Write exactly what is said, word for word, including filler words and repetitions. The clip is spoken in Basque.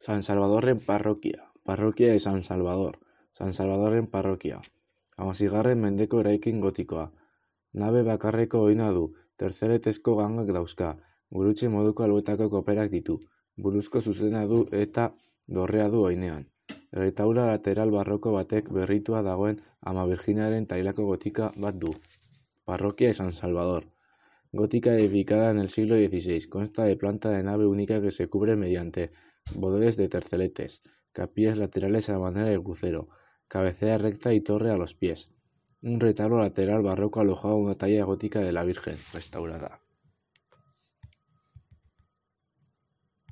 San Salvadorren parrokia, parrokia de San Salvador, San Salvadorren parrokia. Hamaseigarren mendeko eraikin gotikoa. Nabe bakarreko oina du, tertzeretezko gangak dauzka, gurutze moduko alboetako koperak ditu, buruzko zuzena du eta dorrea du oinean. Erretaula lateral barroko batek berritua dagoen Ama Virginaren tailako gotika bat du. Parroquia de San Salvador. Gótica edificada en el siglo dieciséis, consta de planta de nave única que se cubre mediante bodeles de terceletes, capillas laterales a manera de crucero, cabecera recta y torre a los pies. Un retablo lateral barroco alojaba una talla gótica de la Virgen, restaurada.